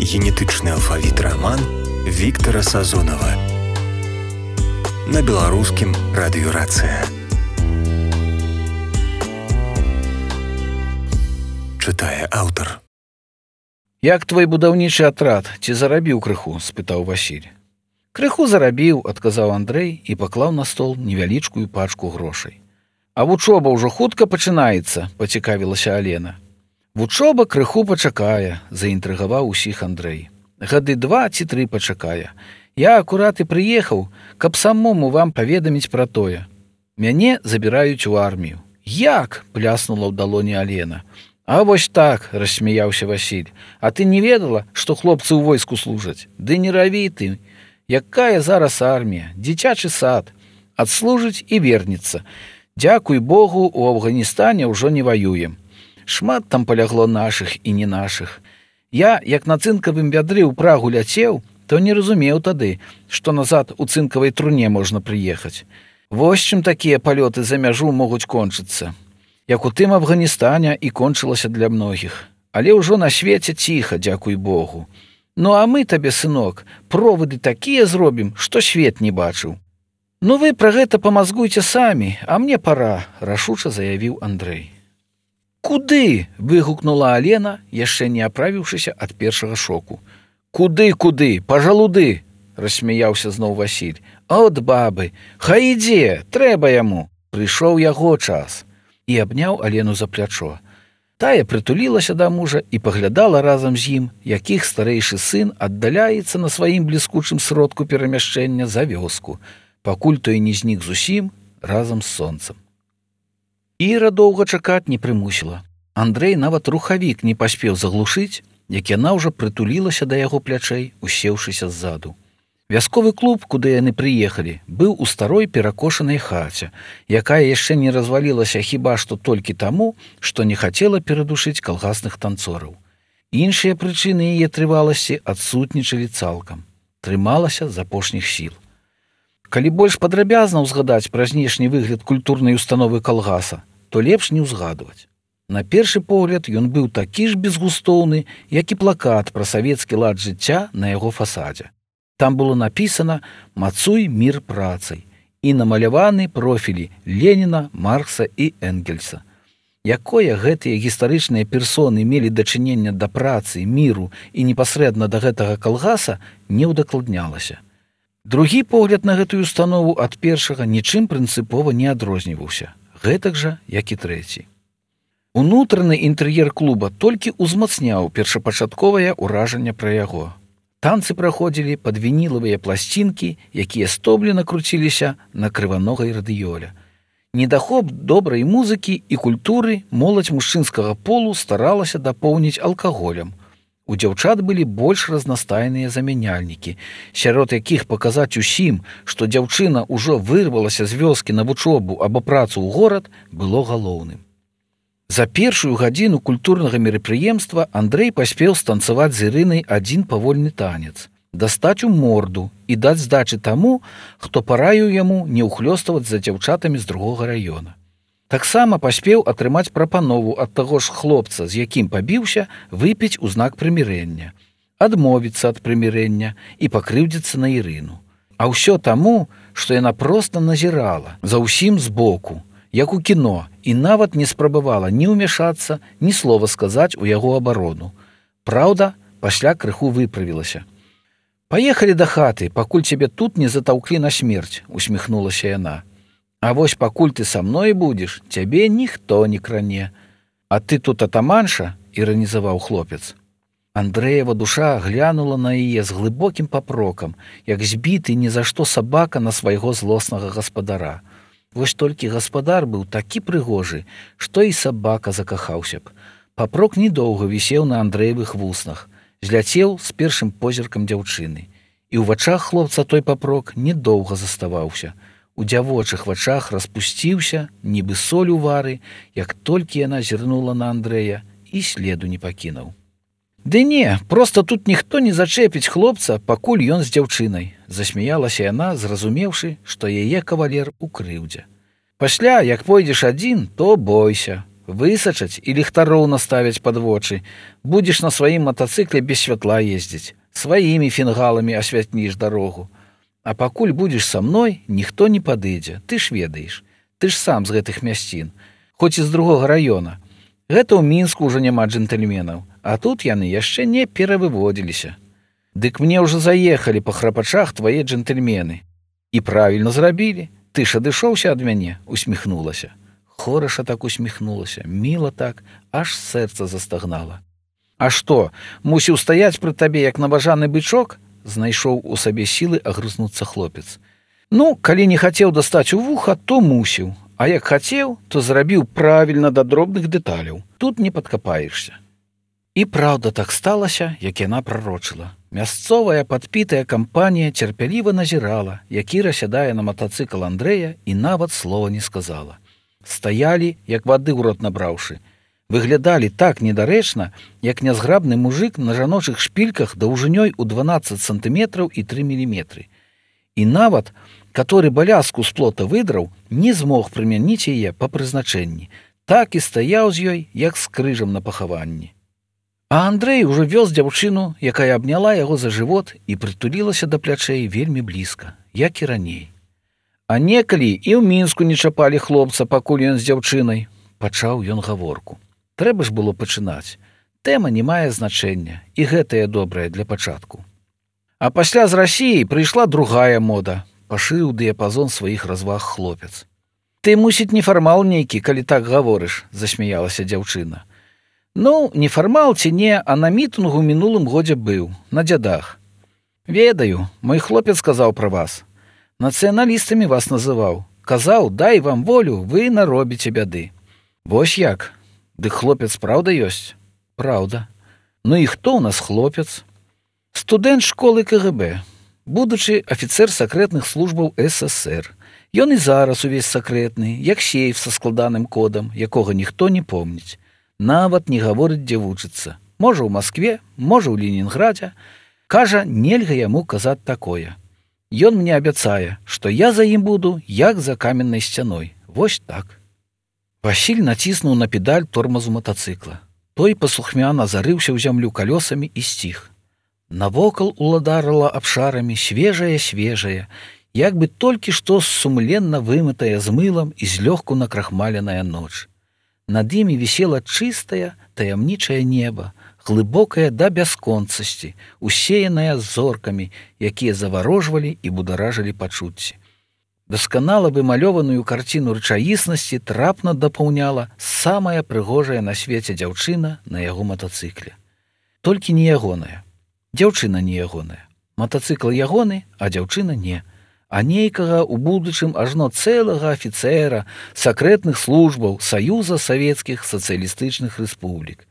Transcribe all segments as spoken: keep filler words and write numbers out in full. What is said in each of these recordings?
Генетычны алфавіт раман Віктара Сазонава на беларускім радыёрацыя. Чытае аўтар. Як твой будаўнічы атрад, ці зарабіў крыху? Спытаў Васіль. Крыху зарабіў, адказаў Андрэй і паклаў на стол невялічкую пачку грошай. А вучоба ўжо хутка пачынаецца, пацікавілася Алена. Вучоба крыху пачакае, заінтрыгаваў усіх Андрэй. Гады два ці тры пачакае. Я акурат і прыехаў, каб самому вам паведаміць пра тое. Мяне забіраюць у армію. Як? Пляснула ў далоні Алена. А вось так, рассмяяўся Васіль. А ты не ведала, што хлопцы ў войску служаць? Ды не раві ты. Якая зараз армія? Дзіцячы сад. Адслужыць і вернецца. Дзякуй Богу, у Афганістане ўжо не ваюем. Шмат там палягло нашых і не нашых. Я, як на цынкавым вядры ў Прагу ляцеў, то не разумеў тады, што назад у цынкавай труне можна прыехаць. Вось чым такія палёты за мяжу могуць кончыцца. Як у тым Афганістане і кончылася для многіх. Але ўжо на свеце ціха, дзякуй Богу. Ну а мы табе, сынок, провады такія зробім, што свет не бачыў. Ну вы пра гэта памазгуйце самі, а мне пара, рашуча заявіў Андрэй. Куды? Выгукнула Алена, яшчэ не аправіўшыся ад першага шоку. Куды, куды? Пажалуды, рассмяяўся зноў Васіль. От бабы, хай ідзе, трэба яму. Прыйшоў яго час. І абняў Алену за плячо. Тая прытулілася да мужа і паглядала разам з ім, якіх старэйшы сын аддаляецца на сваім бліскучым сродку перамяшчэння за вёску, пакуль той не знік зусім разам з сонцам. Іра доўга чакаць не прымусіла. Андрэй нават рухавік не паспеў заглушыць, як яна ўжо прытулілася да яго плячэй, усеўшыся ззаду. Вясковы клуб, куды яны прыехалі, быў у старой перакошанай хаце, якая яшчэ не развалілася хіба што толькі таму, што не хацела перадушыць калгасных танцораў. Іншыя прычыны яе трываласці адсутнічалі цалкам. Трымалася з апошніх сіл. Калі больш падрабязна ўзгадаць пра знешні выгляд культурнай установы калгаса, то лепш не ўзгадваць. На першы погляд ён быў такі ж безгустоўны, як і плакат пра савецкі лад жыцця на яго фасадзе. Там было напісана «Мацуй мір працай» і намаляваны профілі Леніна, Маркса і Энгельса. Якое гэтыя гістарычныя персоны мелі дачынення да працы, міру і непасрэдна да гэтага калгаса, не ўдакладнялася. Другі погляд на гэтую установу ад першага нічым прынцыпова не адрозніваўся, гэтак жа, як і трэці. Унутраны інтэр'ер клуба толькі ўзмацняў першапачатковае ўражанне пра яго. Танцы праходзілі пад вінілавыя пласцінкі, якія стоблена круціліся на крываногай радыёле. Недахоп добрай музыкі і культуры моладзь мужчынскага полу старалася дапоўніць алкаголем. У дзяўчат былі больш разнастайныя замяняльнікі, сярод якіх паказаць усім, што дзяўчына ўжо вырвалася з вёскі на вучобу або працу ў горад, было галоўным. За першую гадзіну культурнага мерапрыемства Андрэй паспеў станцаваць з Ірынай адзін павольны танец, дастаць у морду і даць здачы таму, хто параіў яму не ўхлёставаць за дзяўчатамі з другога раёна. Таксама паспеў атрымаць прапанову ад таго ж хлопца, з якім пабіўся, выпіць у знак прымірэння, адмовіцца ад прымірэння і пакрыўдзіцца на Ірыну. А ўсё таму, што яна проста назірала за ўсім збоку, як у кіно, і нават не спрабавала ні ўмяшацца, ні слова сказаць у яго абарону. Праўда, пасля крыху выправілася. «Паехалі да хаты, пакуль цябе тут не затаўклі на смерць», усміхнулася яна. «А вось пакуль ты са мной будзеш, цябе ніхто не кране. А ты тут атаманша?» – іранізаваў хлопец. Андрэева душа глянула на яе з глыбокім папрокам, як збіты ні за што сабака на свайго злоснага гаспадара. Вось толькі гаспадар быў такі прыгожы, што і сабака закахаўся б. Папрок недоўга вісеў на Андрэевых вуснах, зляцеў з першым позіркам дзяўчыны. І ў вачах хлопца той папрок недоўга заставаўся. У дзявочых вачах распусціўся, нібы соль у вары, як толькі яна зірнула на Андрэя і следу не пакінуў. «Ды не, проста тут ніхто не зачэпіць хлопца, пакуль ён з дзяўчынай», засмяялася яна, зразумеўшы, што яе кавалер у крыўдзе. «Пасля, як пойдзеш адзін, то бойся. высачаць і ліхтароў наставяць пад вочы. Будзеш на сваім матацыкле без святла ездзіць. Сваімі фінгаламі асвятніш дарогу. А пакуль будзеш са мной, ніхто не падыдзе. Ты ж ведаеш. Ты ж сам з гэтых мясцін. Хоць і з другога раёна. Гэта ў Мінску ўжо няма джентльменаў. А тут яны яшчэ не перавыводзіліся. Дык мне ўжо заехалі па храпачах твае джентльмены. І правільна зрабілі. Ты ж адышоўся ад мяне, усміхнулася. Хораша так усміхнулася, міла так, аж сэрца застагнала. А што, мусіў стаяць пры табе, як набажаны бычок? Знайшоў у сабе сілы агрызнуцца хлопец. Ну, калі не хацеў дастаць у вуха, то мусіў. А як хацеў, то зрабіў правільна да дробных дэталяў. Тут не падкапаешся. І праўда так сталася, як яна прарочыла. Мясцовая падпітая кампанія цярпяліва назірала, які расядае на матацыкл Андрэя, і нават слова не сказала. Стаялі, як вады ў рот набраўшы. Выглядалі так недарэчна, як нязграбны мужык на жаночых шпільках даўжынёй у дванаццаць сантыметраў і тры міліметры. І нават, каторы балязку з плота выдраў, не змог прымяніць яе па прызначэнні. Так і стаяў з ёй, як з крыжам на пахаванні. А Андрэй ужо вёз дзяўчыну, якая абняла яго за жывот і прытулілася да плячэй вельмі блізка, як і раней. А некалі і ў Мінску не чапалі хлопца, пакуль ён з дзяўчынай. Пачаў ён гаворку. Трэба ж было пачынаць. Тэма не мае значэння, і гэтая добрая для пачатку. А пасля з Расіі прыйшла другая мода, пашырыў дыяпазон сваіх разваг хлопец. Ты, мусіць, нефармал нейкі, калі так гаворыш, засмяялася дзяўчына. Ну, нефармал ці не, а на мітынгу ў мінулым годзе быў, на дзядах. Ведаю, мой хлопец сказаў пра вас. Нацыяналістамі вас называў. Казаў, дай вам волю, вы наробіце бяды. Вось як? Дык хлопец праўда ёсць? Праўда. Ну і хто ў нас хлопец? Студэнт школы ка гэ бэ, будучы афіцэр сакрэтных службаў эс эс ер. Ён і зараз увесь сакрэтны, як сейф са складаным кодам, якога ніхто не помніць. Нават не гаворыць, дзе вучыцца. Можа, ў Маскве, можа, ў Ленінградзе. Кажа, нельга яму казаць такое. Ён мне абяцае, што я за ім буду, як за каменнай сцяной. Вось так. Васіль націснуў на педаль тормазу матацыкла. Той паслухмяна зарыўся ў зямлю калёсамі і сціх. Навокал уладарыла абшарамі свежая-свежая, як бы толькі што сумленна вымытая з мылам і злёгку накрахмаленая ноч. Над імі вісела чыстае, таямнічае неба, глыбокая да бясконцасці, усеяная зоркамі, якія заварожвалі і бударажылі пачуцці. Дасканала вымалёваную карціну рэчаіснасці трапна дапаўняла самая прыгожая на свеце дзяўчына на яго матацыкле. Толькі не ягоная. Дзяўчына не ягоная. Матацыкл ягоны, а дзяўчына не. А нейкага ў будучым ажно цэлага афіцэра сакрэтных службаў Саюза Савецкіх Сацыялістычных Рэспублік.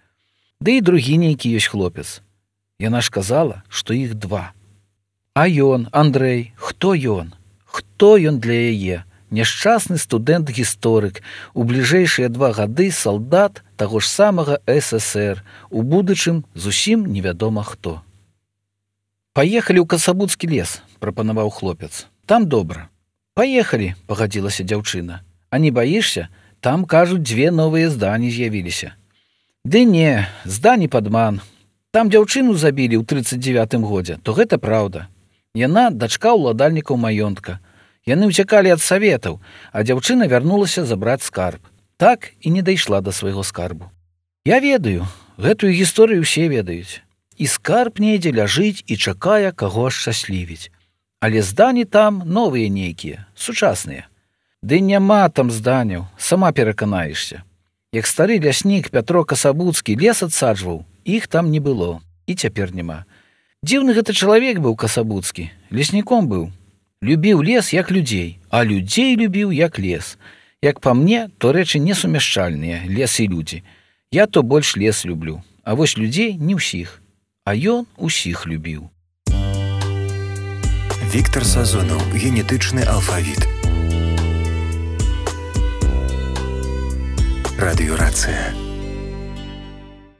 Ды і другі нейкі ёсць хлопец. Яна ж казала, што іх два. А ён, Андрэй, хто ён? Хто ён для яе? Няшчасны студэнт-гісторык, у бліжэйшыя два гады салдат таго ж самага эс эс ер, у будучым зусім невядома хто. Паехалі ў Касабуцкі лес, прапанаваў хлопец. Там добра. Паехалі, пагадзілася дзяўчына. А не баішся? Там, кажуць, дзве новыя здані з'явіліся. Ды не, здані падман. Там дзяўчыну забілі ў трыццаць дзевятым годзе, то гэта праўда. Яна дачка ўладальнікаў маёнтка. Яны ўцякалі ад саветаў, а дзяўчына вярнулася забраць скарб. Так і не дайшла да свайго скарбу. Я ведаю, гэтую гісторыю ўсе ведаюць. І скарб недзе ляжыць і чакае, каго ашчаслівіць. Але здані там новыя нейкія, сучасныя. Ды няма там зданяў, сама пераканаешся. Як стары ляснік Пятро Касабуцкі лес адсаджваў, іх там не было, і цяпер няма. Дзіўны гэта чалавек быў Касабуцкі, лесніком быў. Любіў лес, як людзей, а людзей любіў, як лес. Як па мне, то рэчы несумяшчальныя, лес і людзі. Я то больш лес люблю, а вось людзей не ўсіх. А ён усіх любіў. Віктар Сазонаў, генетычны алфавіт. Радыёрацыя.